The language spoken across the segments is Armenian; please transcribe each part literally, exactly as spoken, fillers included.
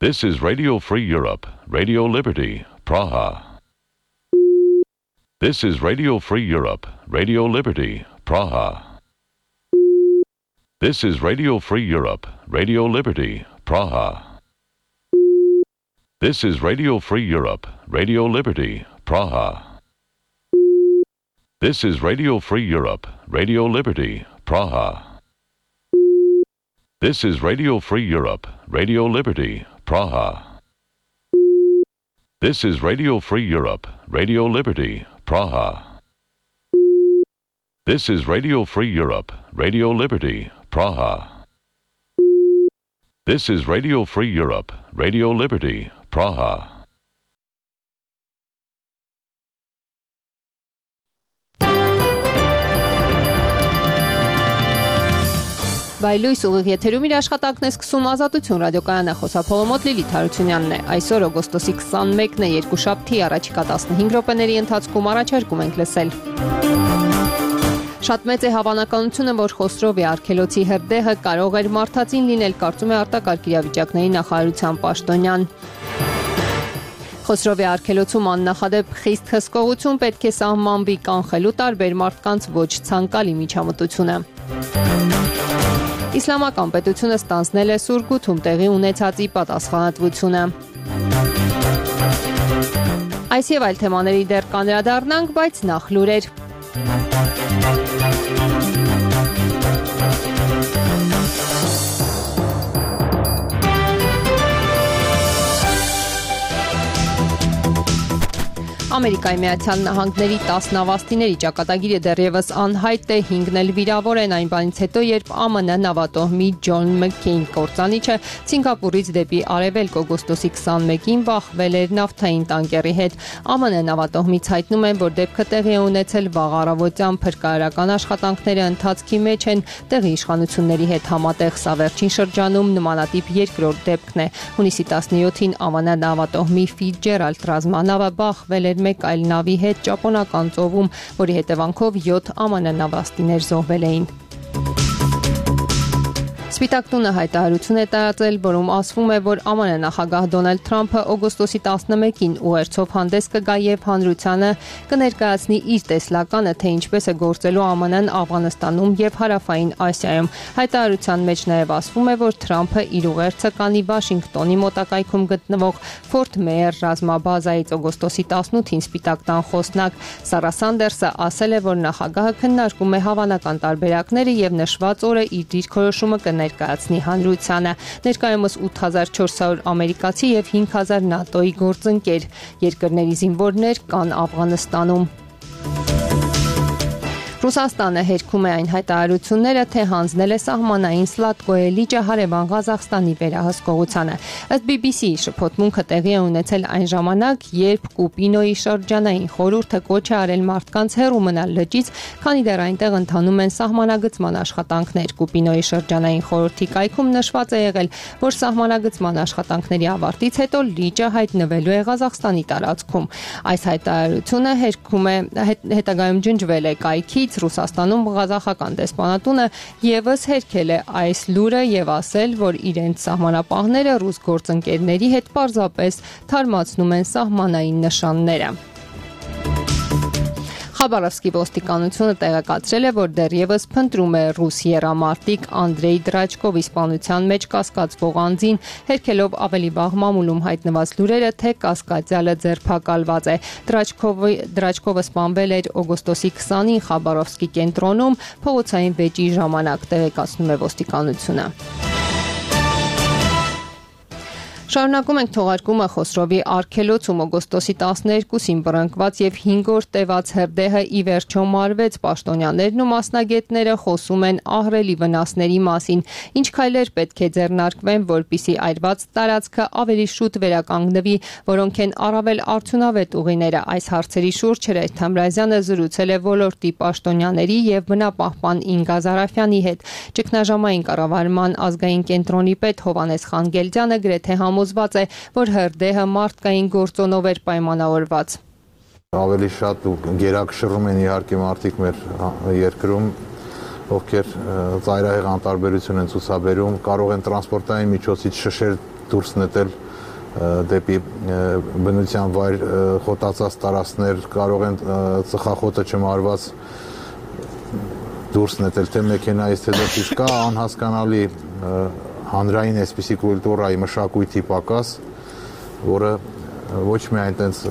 This is Radio Free Europe, Radio Liberty, Praha. This is Radio Free Europe, Radio Liberty, Praha. This is Radio Free Europe, Radio Liberty, Praha. This is Radio Free Europe, Radio Liberty, Praha. This is Radio Free Europe, Radio Liberty, Praha. This is Radio Free Europe, Radio Liberty, Praha. This is Radio Free Europe, Radio Liberty, Praha. This is Radio Free Europe, Radio Liberty, Praha. This is Radio Free Europe, Radio Liberty, Praha. Բայլույս ուղիղ եթերում իր աշխատանքն է սկսում Ազատություն ռադիոկայանը, խոսափողը մոտ Լիլիթ Հարությունյանն է։ Այսօր օգոստոսի քսանմեկն է, երկուշաբթի, առաջիկա տասնհինգ րոպեների ընթացքում առաջարկում ենք լսել։ Շատ մեծ է հավանականությունը, որ Խոսրովի արգելոցի հրդեհը կարող էր մարդածին լինել, կարծում է արտակարգ իրավիճակների նախարարության պաշտոնյան։ Խոսրովի արգելոցում աննախադեպ խիստ հսկողություն պետք է սահմանվի, կանխելու տարբեր մարդկանց ոչ ցանկալի միջամտությունը։ Իսլամական պետությունը ստանձնել է Սուրգութում տեղի ունեցածի պատասխանատվությունը։ Այս եւ այլ թեմաների դեռ կանրադառնանք, բայց նախ լուրեր։ Ամերիկայի Միացյալ Նահանգների տաս նավաստիների ճակատագիրը դեռևս անհայտ է, հինգն էլ վիրավոր են այն բանից հետո, երբ ԱՄՆ նավատոհմի Ջոն Մքքեյն կործանիչը Սինգապուրից դեպի արևելք օգոստոսի քսանմեկին բախվել էր նավթային տանկերի հետ։ ԱՄՆ նավատոհմից հայտնում են, որ դեպքը տեղի է ունեցել վաղ առավոտյան, փրկարարական աշխատանքները ընթացքի մեջ են, տեղի իշխանությունների հետ համատեղ սա վերջին շրջանում նմանատիպ երկրորդ դեպքն է։ Հունիսի տասնյոթին ԱՄՆ նավատոհմի Ֆիցջերալդ ռազմանավը բախվել էր մեկ այլ նավի հետ ճապոնական ծովում, որի հետևանքով յոթ ԱՄՆ նավաստիներ զոհվել էին։ Սպիտակ տունը հայտարարություն է տարածել, որում ասվում է, որ ԱՄՆ նախագահ Դոնալդ Թրամփը օգոստոսի տասնմեկին ուղերձով հանդես կգա եւ հանրությանը կներկայացնի իր տեսլականը, թե ինչպես է գործելու ԱՄՆ-ն Աֆղանստանում եւ Հարավային Ասիայում։ Հայտարարության մեջ նաեւ ասվում է, որ Թրամփը իր ուղերձը կանի Վաշինգտոնի մոտակայքում գտնվող Ֆորթ Մեյեր ռազմաբազայից օգոստոսի տասնութին Սպիտակ տան խոսնակ Սարա Սանդերսը ասել է, որ նախագահը քննարկում է հավանական տարբերակները եւ նշված օրը իր դիրքորոշումը կներկայացնի հանրությանը։ Ներկայումս ութ հազար չորս հարյուր ամերիկացի եւ հինգ հազար նատոյի գործընկեր երկրների զինվորներ կան Աֆղանստանում։ Ռուսաստանը հերքում է այն հայտարարությունները, թե հանձնել է սահմանային Սլատկոյե լիճը հարևան Ղազախստանի վերահսկողությանը։ Ըստ բի բի սի-ի շփոթմունքը տեղի է ունեցել այն ժամանակ, երբ Կուպինոյի շրջանային խորհուրդը կոչ է արել մարդկանց հեռու մնալ լճից, քանի դեռ այնտեղ ընթանում են սահմանագծման աշխատանքներ։ Կուպինոյի շրջանային խորհրդի կայքում նշված է եղել, որ սահմանագծման աշխատանքների ավարտից հետո լիճը հայտնվելու է Ղազախստանի տարածքում։ Այս հայտարարությունը հերքում է հետագայում ջնջվել է կայքից։ Ռուսաստանում ղազախական դեսպանատունը եւս հերքել է այս լուրը եւ ասել, որ իրենց սահմանապահները ռուս գործընկերների հետ պարզապես թարմացնում են սահմանային նշանները։ Խաբարովսկի ոստիկանությունը տեղեկացրել է, որ դեռևս փնտրում է ռուս եռամարտիկ Անդրեյ Դրաչկովի սպանության մեջ կասկածվող անձին, հերքելով ավելի վաղ մամուլում հայտնված լուրերը, թե կասկածյալը ձերբակալված է։ Դրաչկովը Դրաչկովը սպանվել էր օգոստոսի քսանին Խաբարովսկի կենտրոնում փողոցային վեճի ժամանակ, տեղեկացնում է ոստիկանությունը։ Շարունակում ենք թողարկումը Խոսրովի արգելոցում օգոստոսի տասներկուսին բռնկված եւ հինգ օր տևած հրդեհը ի վերջո մարվեց։ Պաշտոնյաներն ու մասնագետները խոսում են ահռելի վնասների մասին, ինչ քայլեր պետք է ձեռնարկվեն, որպիսի այրված տարածքը ավելի շուտ վերականգնվի, որոնք են առավել արդյունավետ ուղիները։ Այս հարցերի շուրջ Հրեշ Թամրազյանը զրուցել է ոլորտի պաշտոնյաների եւ բնապահպան Ինգա Զարաֆյանի հետ։ Ճգնաժամային կառավարման ազգային կենտրոնի պետ Հովհաննես Խանգելդյանը գրեթե համոզված է, որ հրդեհը մարդկային գործոնով էր պայմանավորված։ Ավելի շատ ու գերակշռում են իհարկե մարդիկ մեր երկրում, ովքեր ծայրահեղ անտարբերություն են ցուցաբերում, կարող են տրանսպորտային միջոցից շշեր դուրս նետել դեպի բնության վայր խոտացած տարածքներ, կարող են ծխախոտը չմարված դուրս նետել թե մեքենայից, թե դեպից կա անհասկանալի հանրային այսպիսի կուլտուրայի մշակույթի պակաս, որը ոչ միայն տենց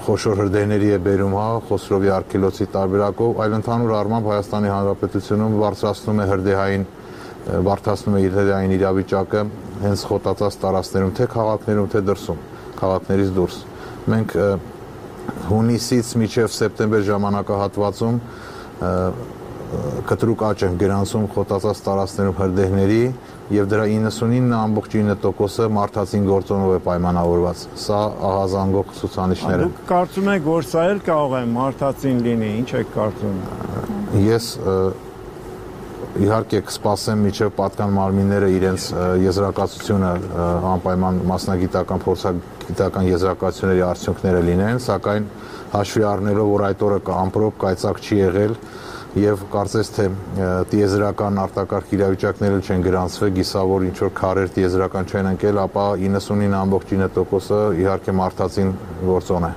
խոշոր հրդեհների է բերում, հա, Խոսրովի արգելոցի տարբերակով, այլ ընդհանուր առմամբ Հայաստանի Հանրապետությունում բարձրացնում է հրդեհային բարդացնում է իր հրդեհային իրավիճակը հենց խոտացած տարածքներում, թե քաղաքներում, թե դրսում, քաղաքներից դուրս։ Մենք հունիսից մինչև սեպտեմբեր ժամանակահատվածում կտրուկ աճ են գրանցում խոտացած տարածքներում հրդեհների եւ դրա իննսունինը ամբողջ ինը տոկոսը մարդածին գործոնով է պայմանավորված։ Սա ահազանգող ցուցանիշներ են։ Դուք կարծում եք, որ սա էլ կարող է մարդածին լինի, ինչ եք կարծում։ Ես իհարկե կսպասեմ մինչև պատկան մարմինները իրենց եզրակացությունը անպայման մասնագիտական փորձագիտական եզրակացությունների արդյունքները լինեն, սակայն հաշվի առնելով, որ այդ օրը ամպրոպ կայծակ չի եղել եւ կարծես թե տիեզերական արտակարգ իրավիճակները չեն գրանցվել, գիսավոր ինչ որ քարեր տիեզերական չեն ընկել, ապա իննսունինը ամբողջ ինը տոկոսը իհարկե մարդածին գործոն է։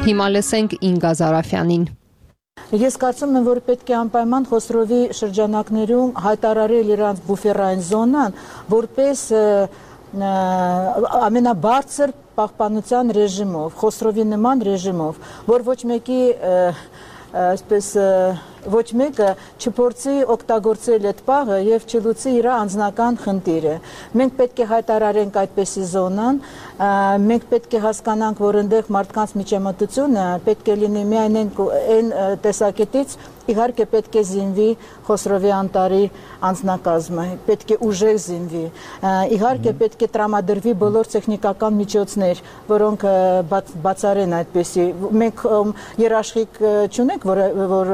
Հիմա լսենք Ինգա Զարաֆյանին։ Ես կարծում եմ, որ պետք է անպայման Խոսրովի շրջանակներում հայտարարել իրանց բուֆերային զոնան, որպես ամենաբարձր պահպանության ռեժիմով, Խոսրովի նման ռեժիմով, որ ոչ մեկի այսպես ոչ մեկը չփորձի օգտագործել այդ պահը եւ չլուծի իր անձնական խնդիրը։ Մենք պետք է հայտարարենք այդպիսի զոնան, մենք պետք է հասկանանք, որ այնտեղ մարդկանց միջամտությունը պետք է լինի միայն այն տեսակետից, իհարկե պետք է զինվի Խոսրովի անտարի անձնակազմը, պետք է ուժեղ զինվի, իհարկե պետք է տրամադրվի բոլոր տեխնիկական միջոցներ, որոնք բացառեն այդպիսի։ Մենք երաշխիք չունենք, որ որ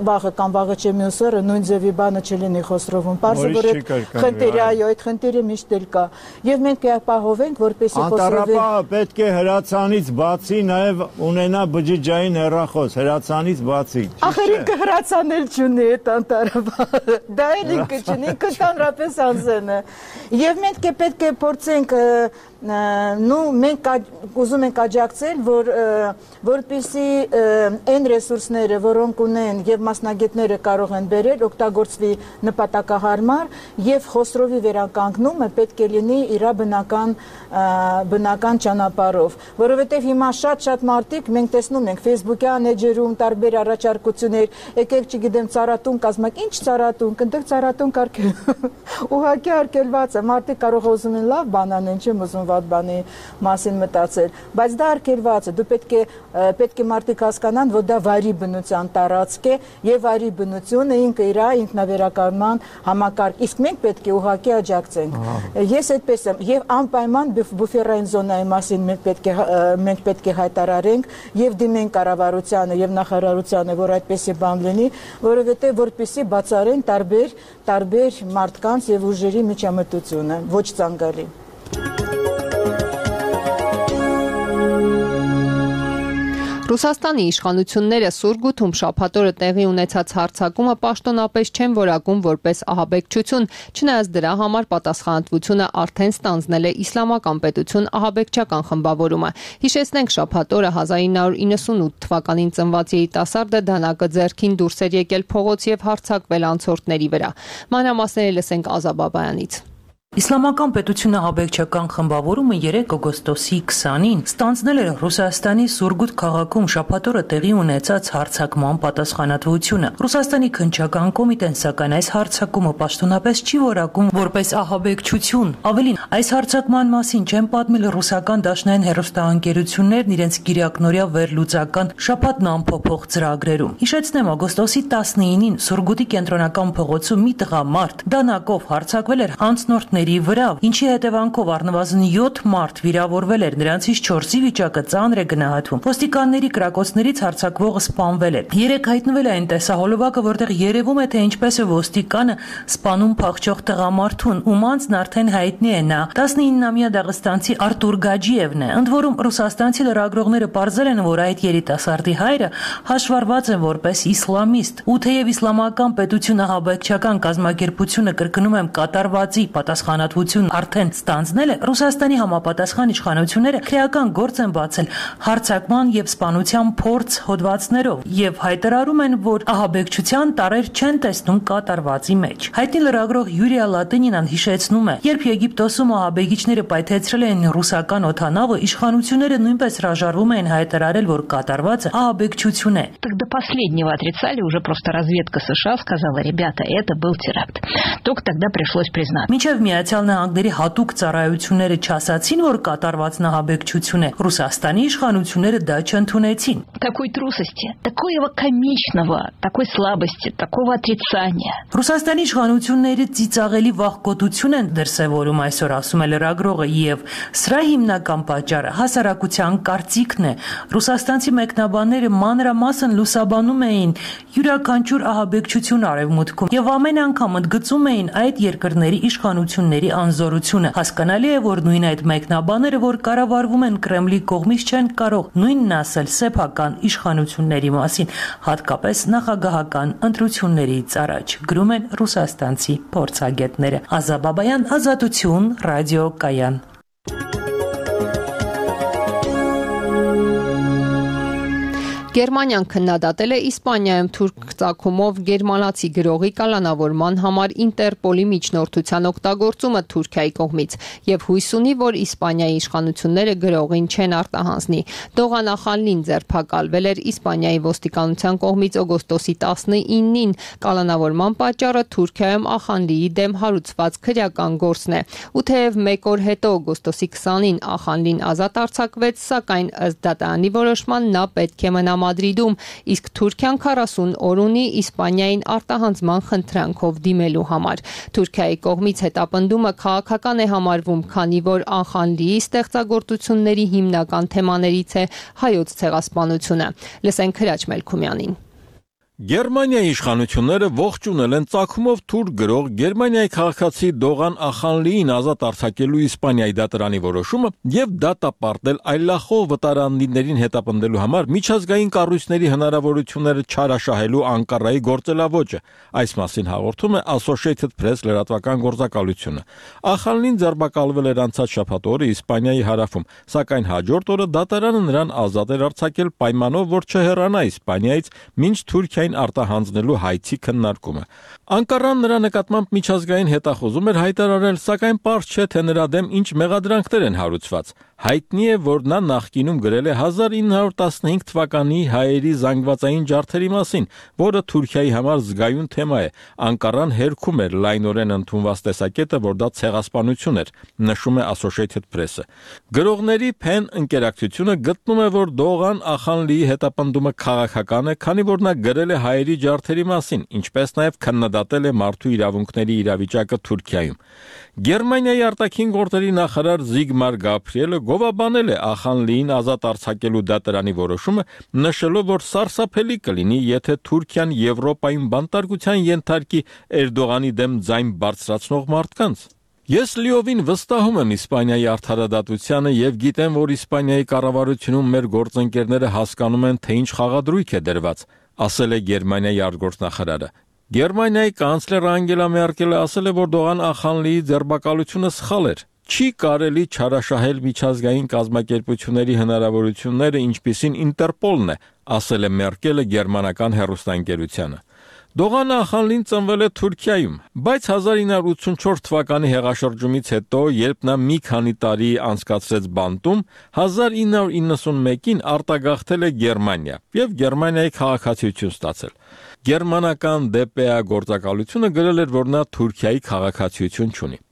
վաղը կամ վաղը չէ մյուս օրը նույն ձևի բանը չլինի Խոսրովում։ Պարզը որ այդ խնդիրը, այո, այդ խնդիրը միշտ էլ կա։ Եվ մենք կապահովենք, որպեսզի Խոսրովի Անտառապահը պետք է հրացանից բացի նաև ունենա բջջային հեռախոս, հրացանից բացի։ Ախր ինքը հրացանել չունի այդ անտառապահը։ Դա էլ ինքը չունի, ինքը ընդհանրապես անձն է։ Եվ մենք պետք է փորձենք նու մենք ուզում ենք աջակցել, որ որպեսզի այն ռեսուրսները, որոնք ունեն եւ մասնագետները կարող են բերել, օգտագործվի նպատակահարմար եւ Խոսրովի վերականգնումը պետք է լինի իր բնական բնական ճանապարհով, որովհետեւ հիմա շատ-շատ մարդիկ մենք տեսնում ենք Facebook-յան էջերում տարբեր առաջարկություններ, եկեք չգիտեմ ծառատուն կազմակ, ինչ ծառատուն, այնտեղ ծառատուն կարգել ուղղակի արկելված է, մարդիկ կարող ուզում են լավ բան անեն, չեմ ուզում վատ բանի մասին մտածել, բայց դա արկելված է, դու պետք է պետք է մարդիկ հասկանան, որ դա վայրի բնության տարածք է եւ վայրի բնությունը ինքը իր ինքնավերականգնման համակարգ, իսկ մենք պետք է ուղղակի աջակցենք։ Ես այդպես եմ եւ անպայման բուֆերային զոնայի մասին մենք պետք է մենք պետք է հայտարարենք եւ դիմենք կառավարությանը եւ նախարարությանը, որ այդպեսի բան լինի, որովհետեւ որպեսի բացառեն տարբեր տարբեր մարդկանց եւ ուժերի միջամտությունը, ոչ ցանկալի։ Ռուսաստանի իշխանությունները Սուրգութում շաբաթ օրը տեղի ունեցած հարձակումը պաշտոնապես չեն որակում որպես ահաբեկչություն, չնայած դրա համար պատասխանատվությունը արդեն ստանձնել է Իսլամական պետություն ահաբեկչական խմբավորումը։ Հիշեցնենք, շաբաթ օրը հազար ինը հարյուր իննսունութ թվականին ծնված երիտասարդը դանակը ձեռքին դուրս էր եկել փողոց եւ հարձակվել անցորդների վրա։ Մանրամասները լսենք Ազա Բաբայանից։ Իսլամական պետությունը ահաբեկչական խմբավորումը երեք օգոստոսի քսանին ստանձնել էր Ռուսաստանի Սուրգութ քաղաքում շաբաթ օրը տեղի ունեցած հարձակման պատասխանատվությունը։ Ռուսաստանի քննչական կոմիտեն սակայն այս հարձակումը պաշտոնապես չի որակում որպես ահաբեկչություն։ Ավելին, այս հարձակման մասին չեն պատմել ռուսական դաշնային հեռուստաընկերություններն իրենց գիրակնօրյա վերլուծական շաբաթն ամփոփող ծրագրերում։ Հիշեցնեմ, օգոստոսի տասնինին Սուրգութի կենտրոնական փողոցում մի տղամարդ դանակով հարձակվել էր անցնորդների տղաների վրա, ինչի հետևանքով առնվազն յոթ մարդ վիրավորվել էր, նրանցից չորսի վիճակը ծանր է գնահատվում։ Ոստիկանների կրակոցներից հարձակվողը սպանվել է։ Երեք հայտնվել է այն տեսահոլովակը, որտեղ երևում է, թե ինչպես է ոստիկանը սպանում փախչող տղամարդուն, ում անձն արդեն հայտնի է, նա տասնիննամյա դաղստանցի Արտուր Գաջիևն է։ Ընդ որում ռուսաստանցի լրագրողները պարզել են, որ այդ երիտասարդի հայրը հաշվառված է որպես իսլամիստ, ու թեև իսլամական պետությունը ահաբեկչական կազմակերպությունը կրկնում եմ կատարվածի պատասխանատվություն արդեն ստանձնել է, Ռուսաստանի համապատասխան իշխանությունները քրեական գործ են բացել հարձակման եւ սպանության փորձ հոդվածներով եւ հայտարարում են, որ ահաբեկչության տարեր չեն տեսնում կատարվածի մեջ։ Հայտնի լրագրող Յուրիա Լատինինան հիշեցնում է, երբ Եգիպտոսում ահաբեկիչները պայթեցրել էին ռուսական օդանավը, իշխանությունները նույնպես հրաժարվում էին հայտարարել, որ կատարվածը ահաբեկչություն է։ Так до последнего отрицали, уже просто разведка США сказала, ребята, это был теракт. Только тогда пришлось признать. Մինչև Միացյալ Նահանգների հատուկ ծառայությունները չասացին, որ կատարվածն ահաբեկչություն է, Ռուսաստանի իշխանությունները դա չընդունեցին։ Такой трусости, такого комичного, такой слабости, такого отрицания. Ռուսաստանի իշխանությունները ծիծաղելի վախկոտություն են դրսևորում այսօր, ասում է լրագրողը, եւ սրա հիմնական պատճառը հասարակության կարծիքն է։ Ռուսաստանցի մեկնաբանները մանրամասն լուսաբանում էին յուրաքանչյուր ահաբեկչություն արևմուտքում եւ ամեն անգամ ընդգծում էին այդ երկրների իշխանությունների անզորությունը։ Հասկանալի է, որ նույն այդ մեկնաբանները, որ կառավարվում են Կրեմլի կողմից, չեն կարող նույնն ասել սեփական իշխանությունների մասին, հատկապես նախագահական ընտրություններից առաջ, գրում են ռուսաստանցի փորձագետները։ Ազա Բաբայան, Ազատություն, ռադիո Կայան։ Գերմանիան քննադատել է Իսպանիայում թուրք ծագումով գերմանացի գրողի կալանավորման համար Ինտերպոլի միջնորդության օգտագործումը Թուրքիայի կողմից եւ հույս ունի, որ Իսպանիայի իշխանությունները գրողին չեն արտահանձնի։ Դողան Ախանլին ձերբակալվել էր Իսպանիայի ոստիկանության կողմից օգոստոսի տասնինին։ Կալանավորման պատճառը Թուրքիայում Ախանլիի դեմ հարուցված քրեական գործն է։ Ու թեև մեկ օր հետո օգոստոսի քսանին Ախանլին ազատ արձակվեց, սակայն ըստ դատարանի որոշման նա պետք է մնա Մադրիդում, իսկ Թուրքիան քառասուն օր ունի Իսպանիային արտահանձման խնդրանքով դիմելու համար։ Թուրքիայի կողմից հետապնդումը քաղաքական է համարվում, քանի որ Ախանլիի ստեղծագործությունների հիմնական թեմաներից է հայոց ցեղասպանությունը։ Լսենք Հրաչ Մելքումյանին։ Գերմանիայի իշխանությունները ողջունել են ծագումով թուրք գրող Գերմանիայի քաղաքացի Դողան Ախանլիին ազատ արձակելու Իսպանիայի դատարանի որոշումը եւ դատապարտել այլախոհ վտարանդիներին հետապնդելու համար միջազգային կառույցների հնարավորությունները չարաշահելու Անկարայի գործելավոճը։ Այս մասին հաղորդում է Associated Press լրատվական գործակալությունը։ Ախանլին ձերբակալվել էր անցած շաբաթ օրը Իսպանիայի հարավում, սակայն հաջորդ օրը դատարանը նրան ազատ էր արձակել պայմանով, որ չհեռանա Իսպանիայից, մինչ Թուրքիա արտահանձնելու հայցի քննարկումը։ Անկարան նրա նկատմամբ միջազգային հետախուզում էր հայտարարել, սակայն պարզ չէ, թե նրա դեմ ինչ մեղադրանքներ են հարուցված։ Հայտնի է, որ նա նախկինում գրել է հազար ինը հարյուր տասնհինգ թվականի հայերի զանգվածային ջարդերի մասին, որը Թուրքիայի համար զգայուն թեմա է։ Անկարան հերքում էր լայնորեն ընդունված տեսակետը, որ դա ցեղասպանություն էր, նշում է Associated Press-ը։ Գրողների Փեն ընկերակցությունը գտնում է, որ Դողան Ախանլիի հետապնդումը քաղաքական է, քանի որ նա գրել է հայերի ջարդերի մասին, ինչպես նաև քննադատել է մարդու իրավունքների իրավիճակը Թուրքիայում։ Գերմանիայի արտաքին գործերի նախարար Զիգմար Գաբրիելը գովաբանել է Ախանլիին ազատ արձակելու դատարանի որոշումը, նշելով, որ սարսափելի կլինի, եթե Թուրքիան Եվրոպայում բանտարկության ենթարկի Էրդողանի դեմ ձայն բարձրացնող մարդկանց։ Ես լիովին վստահում եմ Իսպանիայի արդարադատությանը եւ գիտեմ, որ Իսպանիայի կառավարությունում մեր գործընկերները հասկանում են, թե ինչ խաղադրույք է դրված, ասել է Գերմանիայի արտգործնախարարը։ Գերմանիայի կանցլեր Անգելա Մերկելը ասել է, որ Դողան Ախանլիի ձերբակալությունը սխալ էր։ Չի կարելի չարաշահել միջազգային կազմակերպությունների հնարավորությունները, ինչպիսին Ինտերպոլն է, ասել է Մերկելը գերմանական հեռուստաընկերությանը։ Դողան Ախանլին ծնվել է Թուրքիայում, բայց հազար ինը հարյուր ութսունչորս թվականի հեղաշրջումից հետո, երբ նա մի քանի տարի անցկացրեց բանտում, հազար ինը հարյուր իննսունմեկին արտագաղթել է Գերմանիա եւ Գերմանիայի քաղաքացիություն ստացել։ Գերմանական դե պե է գործակալությունը գրել էր, որ նա Թուրքիայի քաղաքացիություն չունի։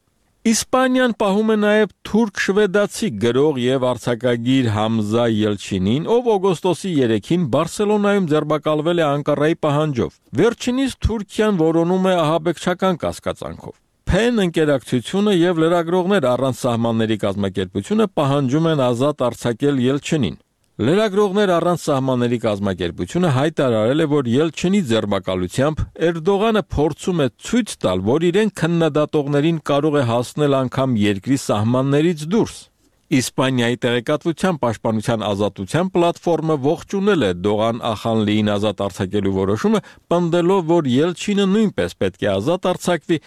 Իսպանիան պահում է նաև թուրք-շվեդացի գրող եւ արձակագիր Համզա Ելչինին, ով օգոստոսի երեքին Բարսելոնայում ձերբակալվել է Անկարայի պահանջով։ Վերջինիս Թուրքիան որոնում է ահաբեկչական կասկածանքով։ Փեն ընկերակցությունը եւ լրագրողներ առանց սահմանների կազմակերպությունը պահանջում են ազատ արձակել Ելչինին։ Լրագրողներ առանց սահմանների կազմակերպությունը հայտարարել է, որ Ելչինի ձեռբակալությամբ Էրդողանը փորձում է ցույց տալ, որ իրեն քննադատողներին կարող է հասնել անգամ երկրի սահմաններից դուրս։ Իսպանիայի տեղեկատվության պաշտպանության ազատության պլատֆորմը ողջունել է Դողան Ախանլիին ազատ արձակելու որոշումը, պնդելով, որ Ելչինը նույնպես պետք է ազատ արձակվի